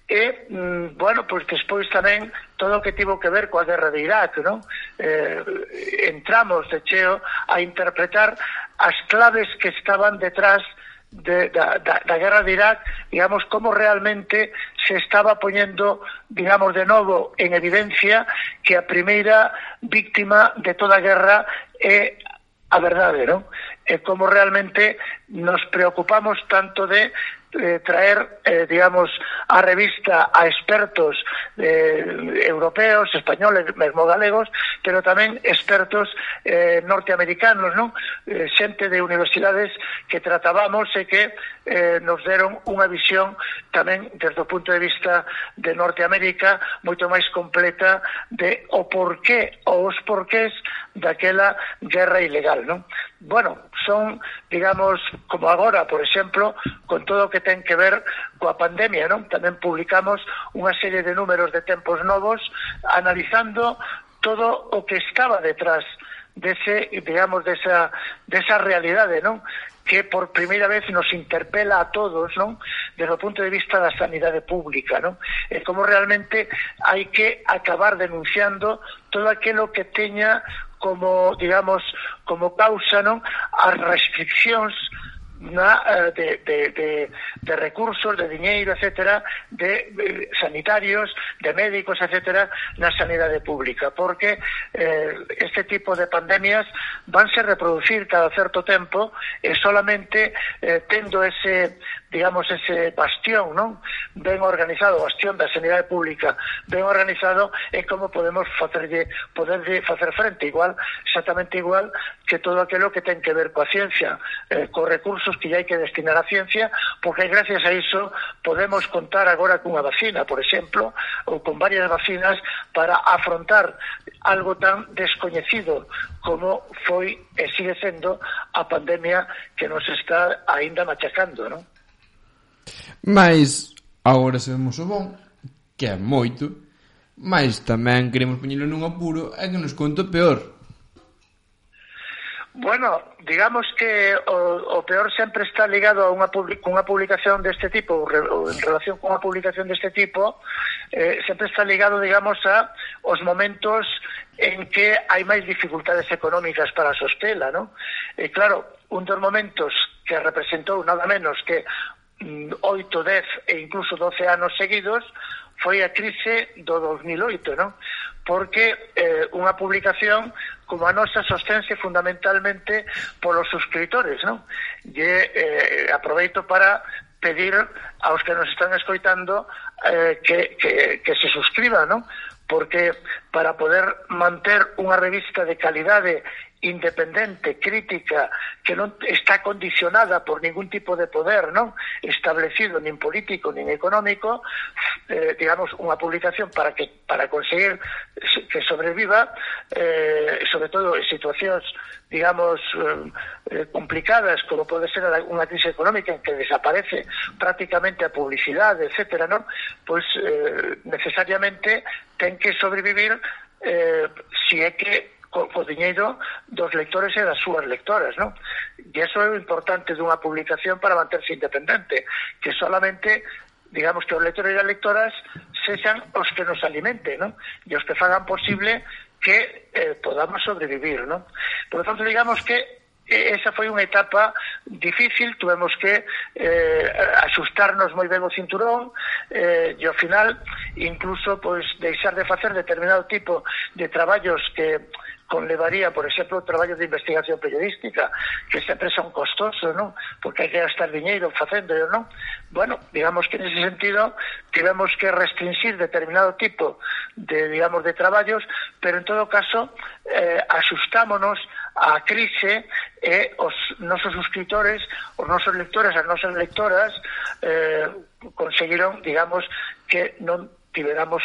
E, mm, bueno, pois despois tamén todo o que tivo que ver coa guerra de Irak, non? Eh, entramos de cheo a interpretar as claves que estaban detrás De, da, da, da guerra de Irak, digamos, como realmente se estaba poñendo, digamos, de novo en evidencia que a primeira víctima de toda a guerra é a verdade, non? E como realmente nos preocupamos tanto de eh, traer, eh, digamos, a revista a expertos eh, europeos, españoles, mesmo galegos, pero tamén expertos eh, norteamericanos, non? Eh, xente de universidades que tratábamos e que eh, nos deron unha visión tamén desde o punto de vista de Norteamérica moito máis completa de o porqué ou os porqués daquela guerra ilegal, non? Bueno, son, digamos, como agora, por exemplo, con todo o que ten que ver coa pandemia, non? Tamén publicamos unha serie de números de Tempos Novos analizando todo o que estaba detrás dese, digamos, desa, desa realidade, non? Que por primeira vez nos interpela a todos, non? Desde o punto de vista da sanidade pública, non? E como realmente hai que acabar denunciando todo aquilo que teña como, digamos, como causa, non? As restriccións na, de, de, de, de recursos, de diñeiro, etcétera, de, de sanitarios, de médicos, etcétera, na sanidade pública, porque eh, este tipo de pandemias vanse reproducir cada certo tempo e solamente eh, tendo ese, digamos, ese bastión, non? Ben organizado, bastión da sanidade pública, ben organizado, é como podemos facerlle, poderlle facer frente, igual, exactamente igual que todo aquilo que ten que ver coa ciencia, eh, co recursos que hai que destinar á ciencia, porque gracias a iso podemos contar agora cunha vacina, por exemplo, ou con varias vacinas para afrontar algo tan descoñecido como foi e sigue sendo a pandemia que nos está aínda machacando, non? Mais agora sabemos o bon, que é moito, mas tamén queremos poñelo nun apuro e que nos conte o peor. Bueno, digamos que o, o peor sempre está ligado a unha, unha publicación deste tipo, ou en relación con unha publicación deste tipo, eh, sempre está ligado, digamos, a os momentos en que hai máis dificultades económicas para sostela, non? E claro, un dos momentos que representou nada menos que oito, dez e incluso doce anos seguidos foi a crise do dos mil oito, non? Porque eh, unha publicación como a nosa sostense fundamentalmente polos suscriptores, non? E eh, aproveito para pedir aos que nos están escoitando eh, que, que, que se suscriban, non? Porque para poder manter unha revista de calidade independente, crítica, que non está condicionada por ningún tipo de poder, non establecido, nin político, nin económico, eh, digamos, unha publicación para que para conseguir que sobreviva, eh, sobre todo en situacións, digamos, eh, complicadas, como pode ser unha crise económica en que desaparece prácticamente a publicidade, etcétera, non? Pois eh, necesariamente ten que sobrevivir eh, si é que co, co diñeiro dos lectores e das súas lectoras, non? E iso é o importante dunha publicación para manterse independente, que solamente, digamos, que os lectores e as lectoras sexan os que nos alimenten, non? E os que fagan posible que eh, podamos sobrevivir, non? Por lo tanto, digamos que esa foi unha etapa difícil, tuvemos que eh, asustarnos moi ben o cinturón eh, e ao final incluso pois deixar de facer determinado tipo de traballos que conlevaría, por exemplo, o traballo de investigación periodística, que sempre son costosos, non? Porque hai que gastar diñeiro facendo, non? Bueno, digamos que en ese sentido tivemos que restringir determinado tipo de, digamos, de traballos, pero en todo caso eh, asustámonos á crise e os nosos suscriptores, os nosos lectores, as nosas lectoras eh, conseguiron, digamos, que non tiveramos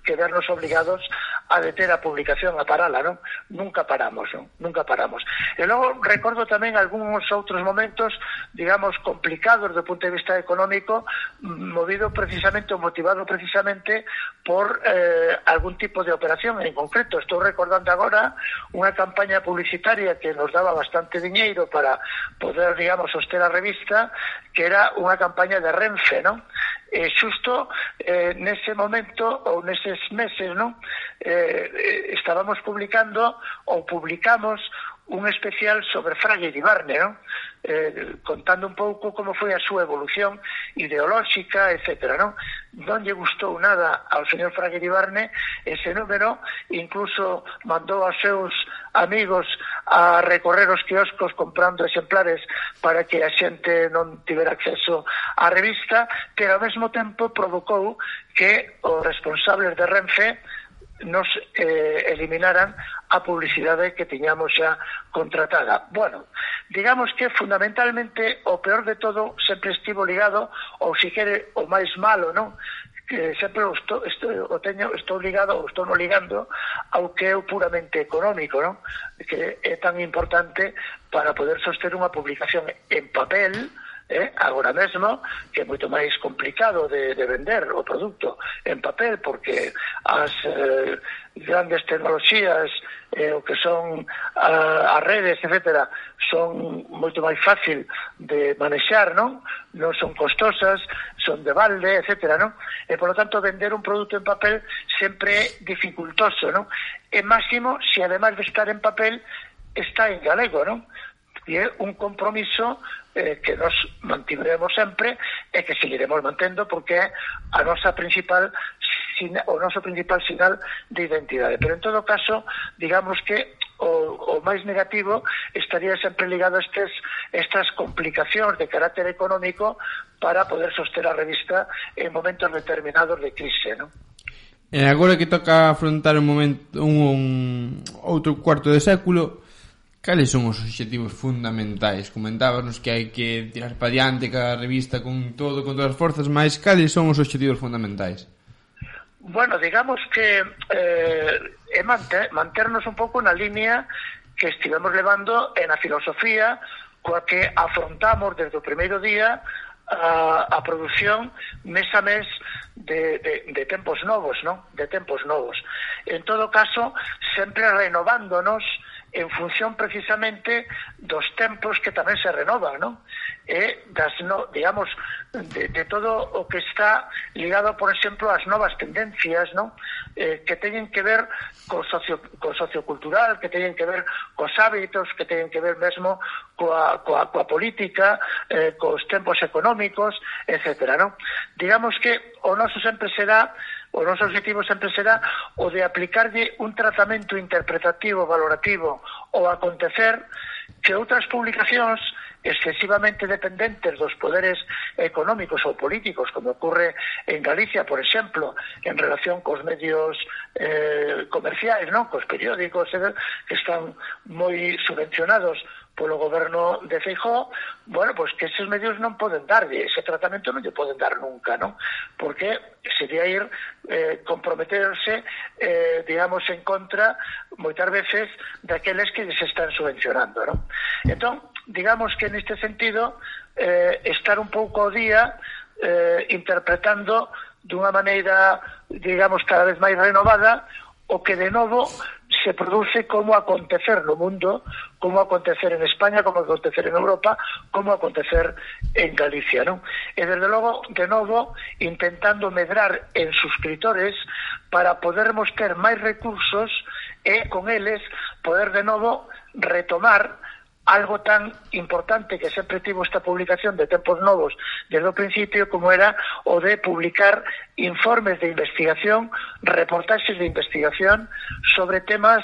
que vernos obligados a deter a publicación, a parala, non? Nunca paramos, non? Nunca paramos. E logo recordo tamén algúns outros momentos, digamos, complicados do punto de vista económico, movido precisamente ou motivado precisamente por eh, algún tipo de operación en concreto. Estou recordando agora unha campaña publicitaria que nos daba bastante diñeiro para poder, digamos, soster a revista, que era unha campaña de Renfe, non? E xusto eh, nese momento ou neses meses, non? Eh, estábamos publicando ou publicamos un especial sobre Fraga Iribarne, non? Eh, contando un pouco como foi a súa evolución ideolóxica, etcétera, non? Non lle gustou nada ao señor Fraga Iribarne ese número, incluso mandou aos seus amigos a recorrer os quioscos comprando exemplares para que a xente non tivera acceso á revista, pero ao mesmo tempo provocou que os responsables de Renfe nos eh, eliminaran a publicidade que tiñamos xa contratada. Bueno, digamos que fundamentalmente o peor de todo sempre estivo ligado, ou se quere o máis malo, non? Que sempre estou, estou, o teño, estou ligado ou estou no ligando ao que é o puramente económico, non? Que é tan importante para poder soster unha publicación en papel, Eh, agora mesmo, que é moito máis complicado de, de vender o produto en papel, porque as eh, grandes tecnoloxías, eh, o que son a, as redes, etcétera, son moito máis fácil de manexar, non? Non son costosas, son de balde, etcétera, non? E, por lo tanto, vender un produto en papel sempre é dificultoso, non? E máximo, se ademais de estar en papel, está en galego, non? E é un compromiso eh, que nos mantiveremos sempre e que seguiremos mantendo, porque é a nosa principal o noso principal sinal de identidade. Pero en todo caso, digamos que o, o máis negativo estaría sempre ligado a estes, estas complicacións de carácter económico para poder soster a revista en momentos determinados de crise, non? E agora que toca afrontar un momento un, un outro cuarto de século, cales son os obxectivos fundamentais? Comentábanos que hai que tirar para diante cada revista con todo, con todas as forzas, mas cales son os obxectivos fundamentais? Bueno, digamos que eh, é manter, manternos un pouco na línea que estivemos levando en a filosofía coa que afrontamos desde o primeiro día a, a produción mes a mes de, de, de tempos novos, ¿no? De tempos novos. En todo caso, sempre renovándonos en función precisamente dos tempos que tamén se renovan, non? E das, no, digamos, de, de todo o que está ligado, por exemplo, ás novas tendencias, non? Eh, que teñen que ver co, socio, co sociocultural, que teñen que ver cos hábitos, que teñen que ver mesmo coa, coa, coa política, eh, cos tempos económicos, etcétera, non? Digamos que o noso sempre será o noso objetivo sempre será o de aplicarlle un tratamento interpretativo, valorativo ao acontecer que outras publicacións excesivamente dependentes dos poderes económicos ou políticos, como ocorre en Galicia, por exemplo, en relación cos medios eh, comerciais, non? Cos periódicos, eh, que están moi subvencionados polo goberno de Feijóo, bueno, pois pues que eses medios non poden darlle, ese tratamento non lle poden dar nunca, non? Porque sería ir eh, comprometerse, eh, digamos, en contra, moitas veces, daqueles que les están subvencionando, non? Entón, digamos que neste sentido, eh, estar un pouco ao día eh, interpretando dunha maneira, digamos, cada vez máis renovada o que de novo se produce como acontecer no mundo, como acontecer en España, como acontecer en Europa, como acontecer en Galicia, non? E desde logo, de novo, intentando medrar en suscriptores para podermos ter máis recursos e con eles poder de novo retomar algo tan importante que sempre tivo esta publicación de Tempos Novos desde o principio, como era o de publicar informes de investigación, reportaxes de investigación sobre temas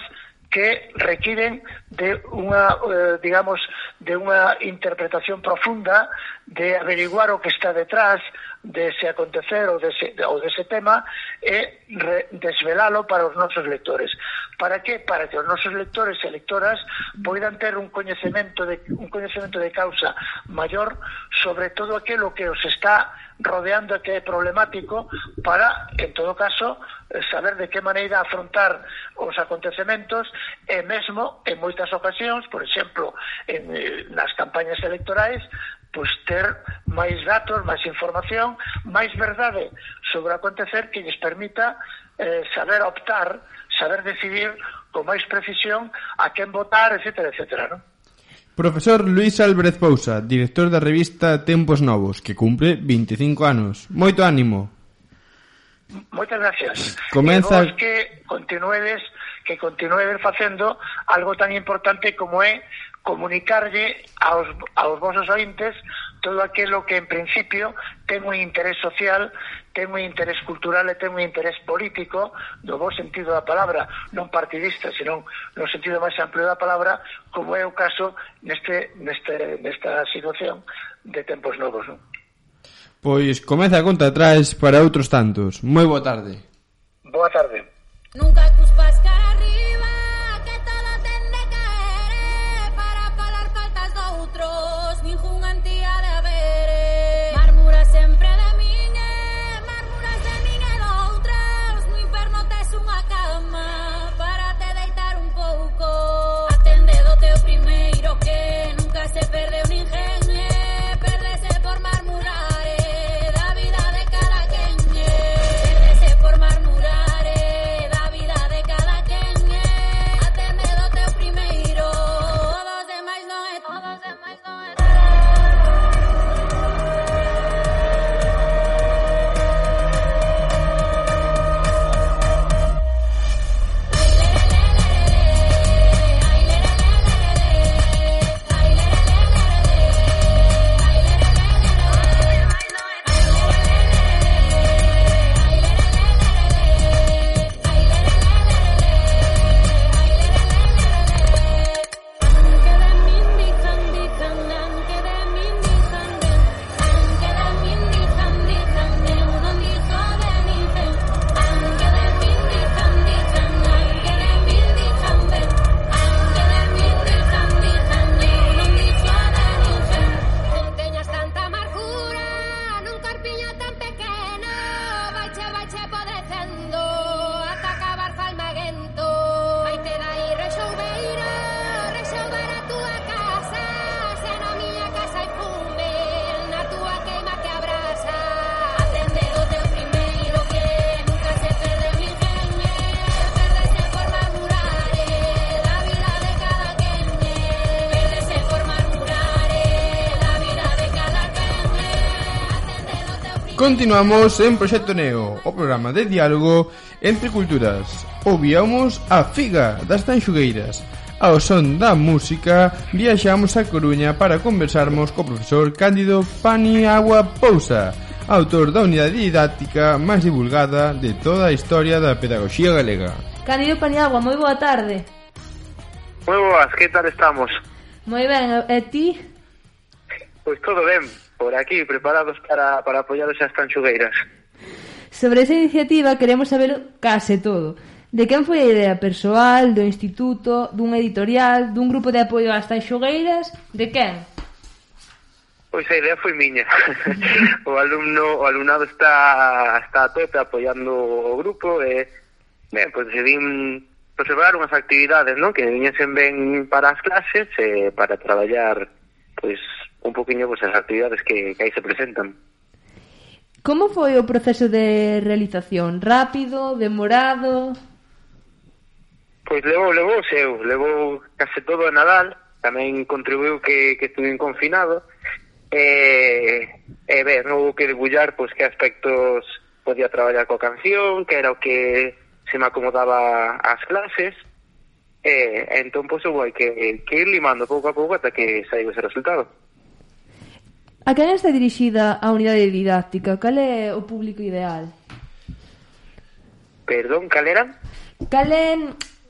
que requiren de unha, eh, digamos, de unha interpretación profunda, de averiguar o que está detrás de ese acontecer ou dese, ou dese tema e re, desvelalo para os nosos lectores. Para que? Para que os nosos lectores e lectoras poidan ter un coñecemento de, un coñecemento de causa maior sobre todo aquilo que os está rodeando e que é problemático, para, en todo caso, saber de que maneira afrontar os acontecementos e mesmo, en moitas ocasións, por exemplo, en, nas campañas electorais, pois ter máis datos, máis información, máis verdade sobre o acontecer que lles permita eh, saber optar, saber decidir con máis precisión a quen votar, etcétera, etcétera, non? Profesor Luís Álvarez Pousa, director da revista Tempos Novos, que cumpre veinticinco anos. Moito ánimo. Moitas gracias. Comeza... E vos que continuedes, que continuedes facendo algo tan importante como é comunicarlle aos, aos vosos ointes todo aquilo que en principio ten un interés social, ten un interés cultural e ten un interés político no bo sentido da palabra, non partidista, senón no sentido máis amplio da palabra, como é o caso neste, neste, nesta situación de Tempos Novos, non? Pois comeza a conta atrás para outros tantos. Moi boa tarde. Boa tarde. Nunca cuspas cara arriba, que todo ten de caer para colar faltas doutros, ningún antía de haber. Marmura sempre de min e marmuras de min e doutras, no inferno tes unha cama para te deitar un pouco. Atende do teu primeiro que nunca se perdeu ninguén, e perdese por marmurar e da vida de cada quen, e perdese por marmurar e da vida de cada quen, e atende do teu primeiro, todos demais non é, todos demais non é. Teñas tanta amargura nun corpiño tan pequeno, vaiche, vaiche podecendo ata acabar falmaguento. Vaite dai rexoubeiro, rexoubar a túa casa, se na miña casa hai fume, na túa queima que abrasa. Atende o teu primeiro que nunca se perde ninguén, e perdese por marmurar e da vida de cada quen, e perdese por marmurar e da vida de cada quen, e atende o teu primeiro. Continuamos en Proxecto Neo, o programa de diálogo entre culturas. Ouvíamos a Figa das Tanxugueiras. Ao son da música, viaxamos a Coruña para conversarmos co profesor Cándido Paniagua Pousa, autor da unidade didáctica máis divulgada de toda a historia da pedagogía galega. Cándido Paniagua, moi boa tarde. Moi boas, que tal estamos? Moi ben, e ti? Pois todo ben, por aquí, preparados para, para apoiar esas tanxugueiras. Sobre esa iniciativa queremos saber case todo. De quen foi a idea persoal, do instituto, dun editorial, dun grupo de apoio ás tanxugueiras? De quen? Pois a idea foi miña. o alumno, o alumnado está está a tope apoiando o grupo e ben, pois decidín preservar unhas actividades, non, que viñesen ben para as clases e para traballar pois un poquinho pois as actividades que, que aí se presentan. Como foi o proceso de realización? Rápido, demorado? Pois levou, levou o seu, levou case todo a Nadal, tamén contribuiu que, que estuve confinado, e, e ben, houve que debullar pois, que aspectos podía traballar coa canción, que era o que se me acomodaba ás clases, e, e entón, pois, eu hai que, que ir limando pouco a pouco ata que saiba ese resultado. A quen está dirixida a unidade didáctica? Cal é o público ideal? Perdón, cal era? Cal é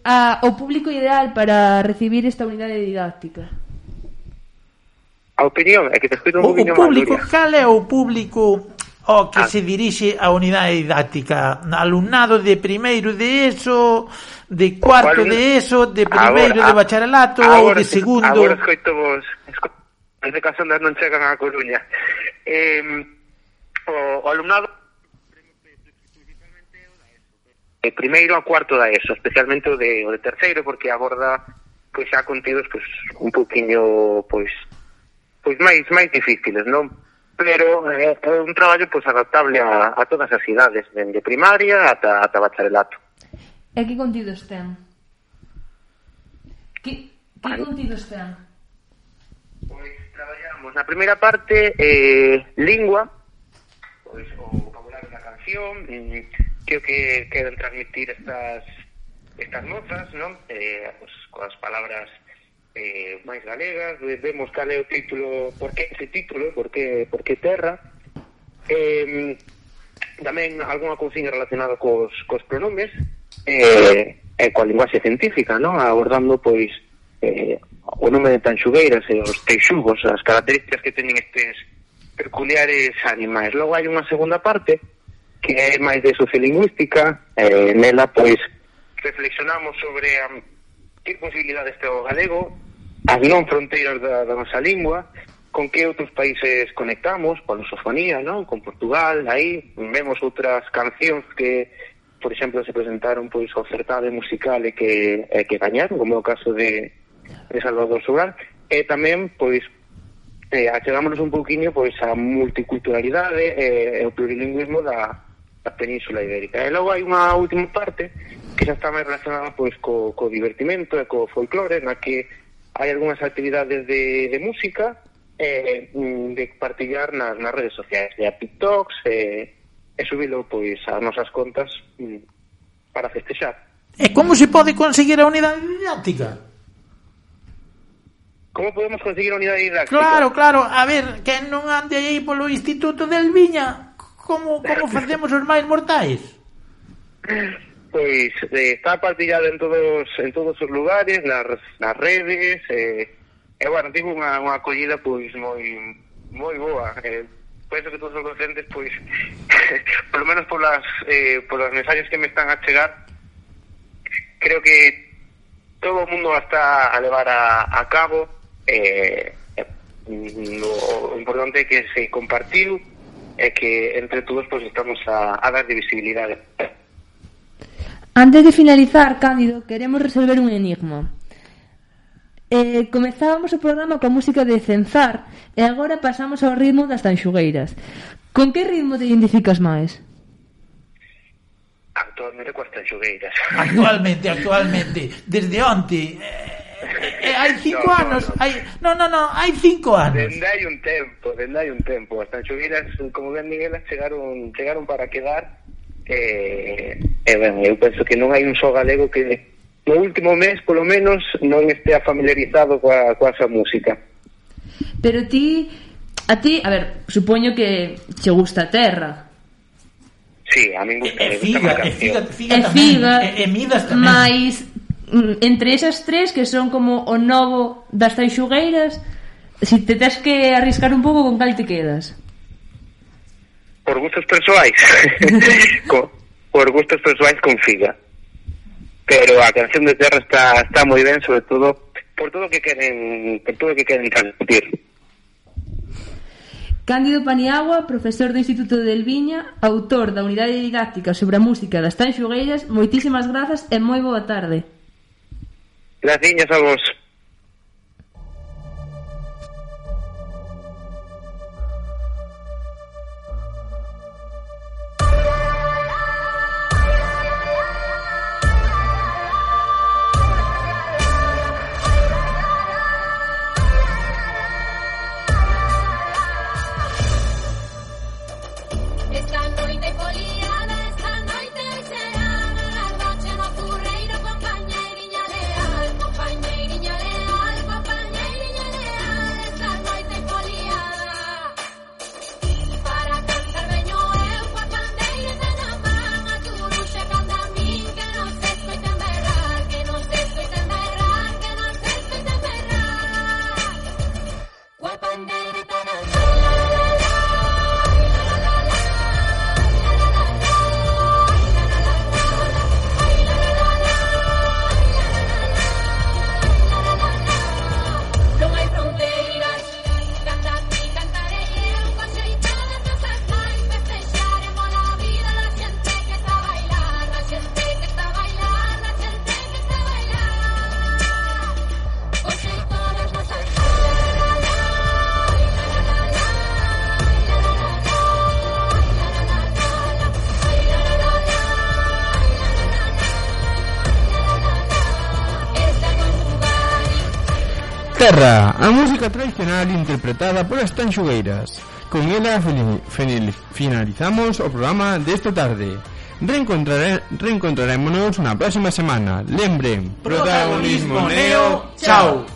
a, o público ideal para recibir esta unidade didáctica? A opinión, é que te escoito un O, o poquinho público, mal, cal é o público ao que Ah. se dirixe a unidade didáctica? Alumnado de primeiro de ESO, de cuarto Alum- de ESO, de primeiro Agora, de bacharelato ou agora de te- segundo? Agora escoito vos, escoito, desde que as ondas non chegan á Coruña. Eh, o, o alumnado de primeiro a cuarto da ESO, especialmente o de, o de terceiro, porque aborda pois xa contidos pois un poquinho pois pois máis máis difíciles, non? Pero é, é un traballo pois adaptable a, a todas as idades, dende primaria ata ata bacharelato. E que contidos ten? Que, que contidos ten? Traballamos na primeira parte eh, lingua, pois o vocabulario da canción, mm, que o que queren transmitir estas estas notas, non? Eh, pues, coas palabras eh, máis galegas, vemos cal é o título, por que ese título, por que, por que terra, eh, tamén algunha cousiña relacionada cos, cos pronomes, eh, e coa linguaxe científica, non? Abordando, pois, eh, o nome de Tanxugueiras e os teixugos, as características que teñen estes peculiares animais. Logo hai unha segunda parte que é máis de sociolingüística, eh, nela pois reflexionamos sobre um, que posibilidades ten o galego, as non fronteiras da, da nosa lingua, con que outros países conectamos, coa lusofonía, non? Con Portugal, aí vemos outras cancións que, por exemplo, se presentaron pois ao certame musical e que, e que gañaron, como é o caso de, de Salvador Sobral, e tamén pois eh, achegámonos un pouquiño pois a multiculturalidade e, e o plurilingüismo da a Península Ibérica. E logo hai unha última parte que xa está máis relacionada pois co, co divertimento e co folclore, na que hai algunhas actividades de, de música e eh, de partillar nas, nas redes sociais, de a TikToks e, e subilo pois ás nosas contas mm, para festexar. E como se pode conseguir a unidade didáctica? Como podemos conseguir a unidade didáctica? Claro, claro, a ver, que non ande aí polo Instituto del Viña, como, como facemos os máis mortais? Pois eh, está partillado en todos en todos os lugares, nas, nas redes, e, e bueno, tivo unha, unha acollida pois moi moi boa. Eh, penso que todos os docentes, pois, por lo menos polas, eh, polas mensaxes que me están a chegar, creo que todo o mundo está a levar a, a cabo. Eh, eh, o importante é que se compartiu e que entre todos pois estamos a, a dar de visibilidade. Antes de finalizar, Cándido, queremos resolver un enigma. Eh, comezábamos o programa coa música de Cenzar e agora pasamos ao ritmo das Tanxugueiras. Con que ritmo te identificas máis? Actualmente coas Tanxugueiras. Actualmente, actualmente, desde onte, eh, eh, hai cinco No, no, anos, no. hai, no, no, no, hai cinco anos. Dende hai un tempo, dende hai un tempo. As Tanxugueiras, como ben Miguel, chegaron, chegaron para quedar. E, e ben, eu penso que non hai un só galego que no último mes, polo menos, non estea familiarizado coa, coa esa música. Pero ti, a ti, a ver, supoño que che gusta a terra. Sí, a min gusta, E me gusta figa, máis e canción. figa, figa E tamén, figa, e, e midas tamén. mais mm, entre esas tres que son como o novo das Tanxugueiras, si te tes que arriscar un pouco, con cal te quedas? Por gustos persoais. Co, por gustos persoais con figa. Pero a canción de terra está está moi ben, sobre todo por todo o que queren, por todo o que queren transmitir. Cándido Paniagua, profesor do Instituto del Viña, autor da unidade didáctica sobre a música das Tanxugueiras, moitísimas grazas e moi boa tarde. Graciñas a vos. Esta noite foliada, esta noite será, a noche no curreiro, compañeiriña leal. Terra, a música tradicional interpretada polas Tanxugueiras. Con ela finalizamos o programa desta tarde. Reencontrare, reencontrarémonos na próxima semana. Lembren, protagonismo neo, chao.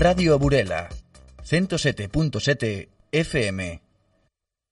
Radio Burela, ciento sete punto sete F M.